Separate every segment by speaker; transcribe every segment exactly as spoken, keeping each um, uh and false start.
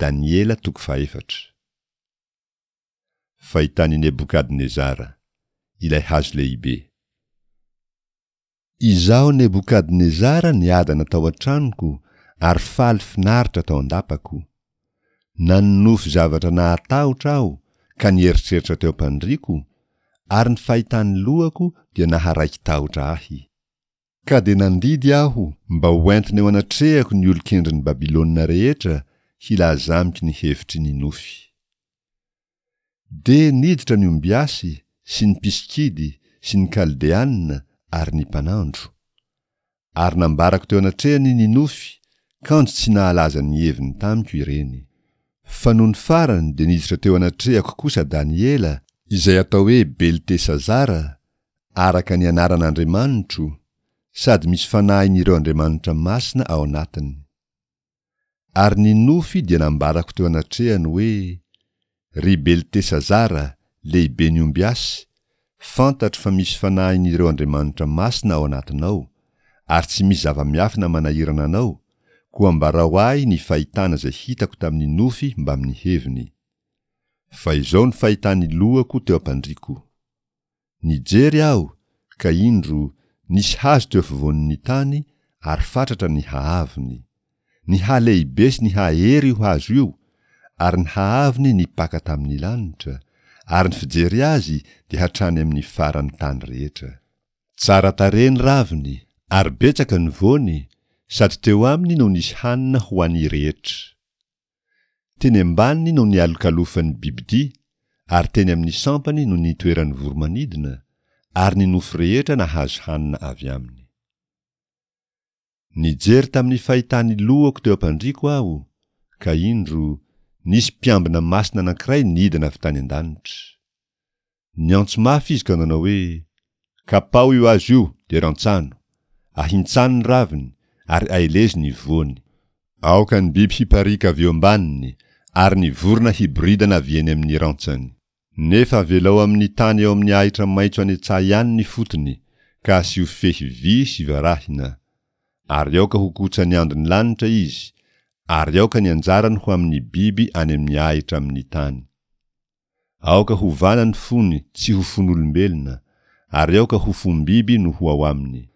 Speaker 1: Daniela toko fahefatra. Fahitan'i Nebokadnezara, ilay hazo lehibe. Izaho Nebokadnezara niadana tao an-tranoko ary faly finaritra tao an-dapako. Nanonofy zavatra nahatahotra aho ka nieritreritra teo am-pandriako, ary ny fahitan'ny lohako dia naharaiki-tahotra ahy. Ka dia nandidy aho mba hoentina eo anatrehako ny olon-kendrin'i Babylona rehetra hilaza amiko ny hevitry ny nofy. Dia niditra ny ombiasy sy ny mpisikidy sy ny Kaldeana ary ny mpanandro. Ary nambarako teo anatrehany ny nofy, kanjo tsy nahalaza ny heviny tamiko ireny. Fa nony farany dia niditra teo anatrehako kosa Daniela, izay atao hoe Beltesazara, araka ny anaran'Andriamanitro, sady misy fanahin'ireo andriamanitra masina ao anatiny. Ary ny nofy dia nambarako teo anatrehany hoe: Ry Beltesazara, lehiben'ny ombiasy, fantatro fa misy fanahin'ireo andriamanitra masina ao anatinao, ary tsy misy zava-miafina manahirana anao, koa ambarao ahy ny fahitana izay hitako tamin'ny nofy mbamin'ny heviny. Fa izao ny fahitan'ny lohako teo am-pandriako. Nijery aho, ka indro, nisy hazo teo afovoan'ny tany, ary fatratra ny haavony. Nihalehibe sy nihahery io hazo io, ary ny haavony nipaka tamin'ny lanitra, ary ny fijery azy dia hatrany amin'ny faran'ny tany rehetra. Tsara tarehy ny raviny, ary betsaka ny voany, sady teo aminy no nisy hanina ho an'ny rehetra. Teny ambaniny no nialokalofan'ny bibidia, ary teny amin'ny sampany no nitoeran'ny voro-manidina, ary ny nofo rehetra nahazo hanina avy aminy. Nijery tamin'ny fahitan'ny lohako teo am-pandriako aho, ka indro, nisy mpiambina masina anankiray nidina avy tany an-danitra. Niantso mafy izy ka nanao hoe: Kapao io hazo io, dia rantsano, ahintsano ny raviny, ary aelezo ny voany. Aoka ny biby hipariaka avy eo ambaniny, ary ny vorona hiboridana avy eny amin'ny rantsany. Nefa avelao amin'ny tany eo amin'ny ahitra maitso any an-tsaha ihany ny fotony, ka asio fehy vy sy varahina. Ary aoka ho kotsan'ny andon'ny lanitra izy, ary aoka ny anjarany ho amin'ny biby any amin'ny ahitra amin'ny tany. Aoka hovana ny fony tsy ho fon'olombelona, ary aoka ho fom-biby no ho ao aminy.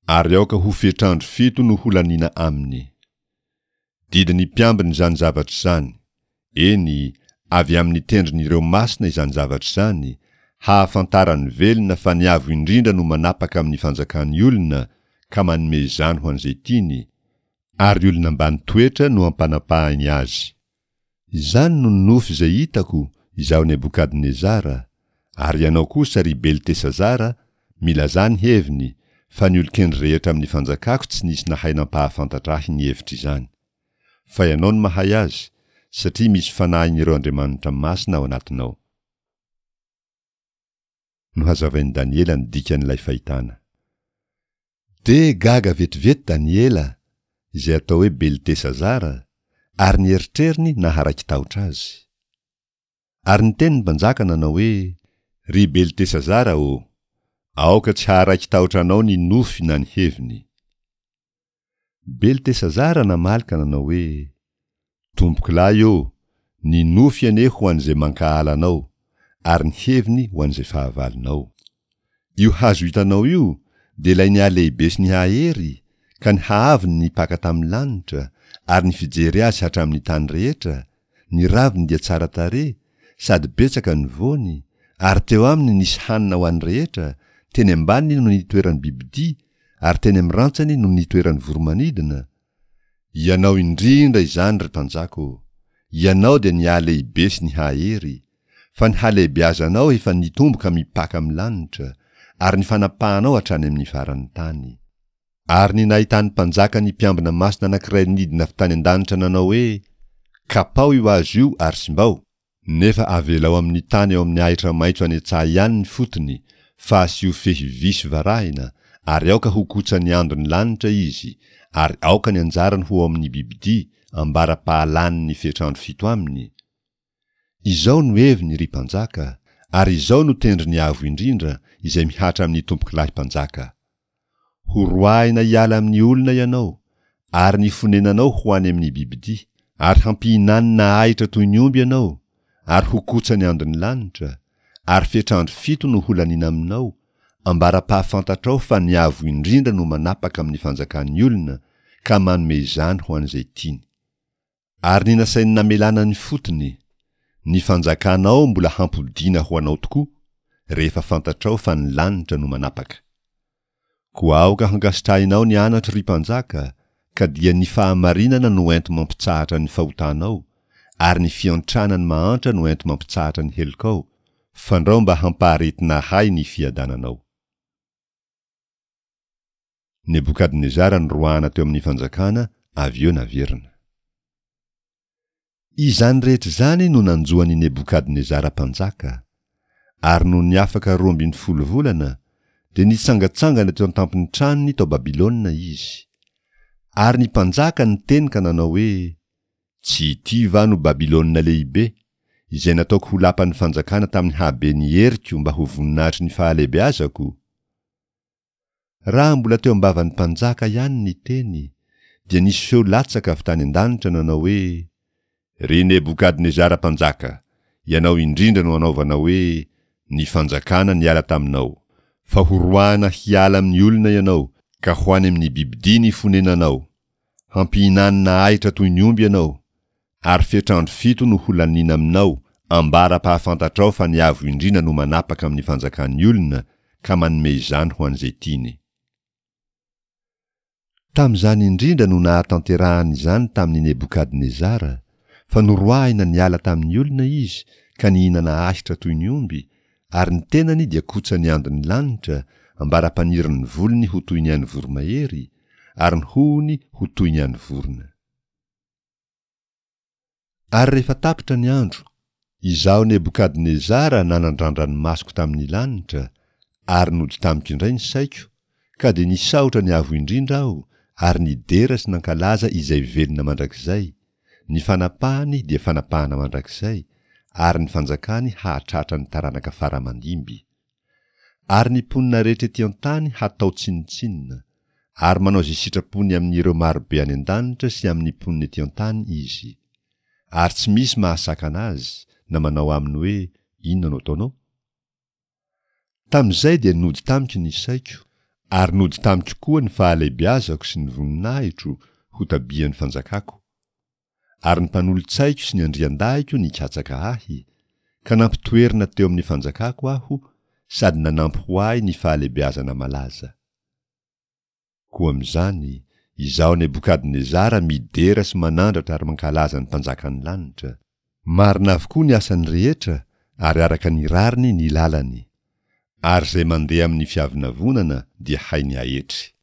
Speaker 1: Ary aoka ho fetr'andro fito no holaniana aminy. Didin'ny mpiambina izany zavatra izany, eny, avy amin'ny tendron'ireo masina izany zavatra izany, hahafantaran'ny velona fa ny Avo Indrindra no manapaka amin'ny fanjakan'ny olona ka manome izany ho an'izay tiany, ary olona ambany toetra no ampanapahiny azy. Izany no nofy izay hitako, izaho Nebokadnezara, ary ianao kosa, ry Beltesazara, milazà ny heviny, fa ny olon-kendry rehetra amin'ny fanjakako tsy nisy nahay nampahafantatra ahy ny hevitr'izany. Fa ianao no mahay azy, satria misy fanahin'ireo andriamanitra masina ao anatinao. Nohazavain'i Daniela ny dikan'ilay fahitana. Dia gaga vetivety Daniela, izay atao hoe Beltesazara, ary ny eritreriny naharaiki-tahotra azy. Ary niteny ny mpanjaka nanao hoe: Ry Beltesazara ô, aoka tsy haharaiki-tahotra anao ny nofy na ny heviny. Beltesazara namaly ka nanao hoe: Tompokolahy ô, ny nofy anie ho an'izay mankahala anao, ary ny heviny ho an'izay fahavalonao. Io hazo hitanao io dia ilay nihalehibe sy nihahery, ka ny haavony nipaka tamin'ny lanitra, ary ny fijery azy hatramin'ny tany rehetra, ny raviny dia tsara tarehy, sady betsaka ny voany, ary teo aminy nisy hanina ho an'ny rehetra, teny ambaniny no nitoeran'ny bibidia, ary teny amin'ny rantsany no nitoeran'ny voro-manidina. Ianao indrindra izany, ry mpanjaka ô! Ianao dia nihalehibe sy nihahery, fa ny halehibeazanao efa nitombo ka mipaka amin'ny lanitra, ary ny fanapahanao hatrany amin'ny faran'ny tany. Ary ny nahitan'ny mpanjaka ny mpiambina masina anankiray nidina avy tany an-danitra nanao hoe: Kapao io hazo io ary simbao, nefa avelao amin'ny tany eo amin'ny ahitra maitso any an-tsaha ihany ny fotony, fa asio fehy vy sy varahina, ary aoka ho kotsan'ny andon'ny lanitra izy, ary aoka ny anjarany ho ao amin'ny bibidia, ambara-pahalany ny fetr'andro fito aminy. Izao no heviny, ry mpanjaka, ary izao no tendrin'ny Avo Indrindra, izay mihatra amin'ny tompokolahy mpanjaka. Horoahina hiala amin'ny olona ianao, ary ny fonenanao ho any amin'ny bibidia, Ary hampihinanina ahitra toy ny omby ianao, ary ho kotsa ny andon'ny lanitra, ary fetr'andro fito no holaniana aminao, ambara-pahafantatrao fa ny Avo Indrindra no manapaka amin'ny fanjakan'ny olona ka manome izany ho an'izay tiany. Ary ny nasainy namelana ny fotony, ny fanjakanao mbola hampodiana ho anao tokoa, rehefa fantatrao fa ny lanitra no manapaka. Koa aoka hankasitrahinao ny anatro, ry mpanjaka, ka dia ny fahamarinana no enti-mampitsahatra ny fahotanao, ary ny fiantrana ny mahantra no enti-mampitsahatra ny helokao, fandrao mba hampaharetina ahy ny fiadananao. Nebokadnezara noroahana teo amin'ny fanjakana, avy eo naverina. Izany rehetra izany no nanjo an'i Nebokadnezara mpanjaka. Ary nony afaka roa ambin'ny folo volana, dia nitsangantsangana teo an-tampon'ny tranony tao Babylona izy. Ary ny mpanjaka niteny ka nanao hoe, Tsy ity va no Babylona lehibe, izay nataoko ho lapan'ny fanjakana tamin'ny haben'ny heriko mba ho voninahitry ny fahalehibeazako? Raha mbola teo am-bavan'ny mpanjaka ihany ny teny, dia nisy feo latsaka avy tany an-danitra nanao hoe, Ry Nebokadnezara mpanjaka, ianao indrindra no anaovana hoe, Ny fanjakana niala taminao. Fa horoahana hiala amin'ny olona ianao, ka ho any amin'ny bibidia ny fonenanao. Hampihinanina ahitra toy ny omby ianao, ary fetr'andro fito no holaniana aminao, ambara-pahafantatrao fa ny Avo Indrindra no manapaka amin'ny fanjakan'ny olona, ka manome izany ho an'izay tiany. Tamin'izany indrindra no nahatanterahany izany tamin'i Nebokadnezara, fa noroahina niala tamin'ny olona izy ka nihinana ahitra toy ny omby, ary ny tenany dia kotsan'ny andon'ny lanitra, ambara-panirin'ny volony ho toy ny an'ny voromahery, ary ny hohony ho toy ny an'ny vorona. Ary rehefa tapitra ny andro, izaho Nebokadnezara nanandrandra ny masoko tamin'ny lanitra, ary nody tamiko indray ny saiko, ka dia nisaotra ny Avo Indrindra aho, ary nidera sy nankalaza Izay velona mandrakizay, ny fanapahany dia fanapahana mandrakizay, ary ny fanjakany hahatratra ny taranaka fara aman-dimby. Ary ny mponina rehetra ety an-tany hatao tsinontsinona, ary manao izay sitrapony amin'ireo marobe any an-danitra sy amin'ny mponina ety an-tany izy. Ary tsy misy mahasakana azy, na manao aminy hoe, Inona no ataonao? Tamin'izay dia nody tamiko ny saiko, ary nody tamiko koa ny fahalehibeazako sy ny voninahitro ho tabihan'ny fanjakako. Ary ny mpanolotsaiko sy ny andriandahiko nikatsaka ahy, ka nampitoerina teo amin'ny fanjakako aho, sady nanampy ho ahy ny fahalehibeazana malaza. Koa amin'izany, izaho Nebokadnezara midera sy manandratra ary mankalaza ny Mpanjakan'ny lanitra. Marina avokoa ny asany rehetra ary araka ny rariny ny lalany. Ary izay mandeha amin'ny fiavonavonana dia hainy aetry.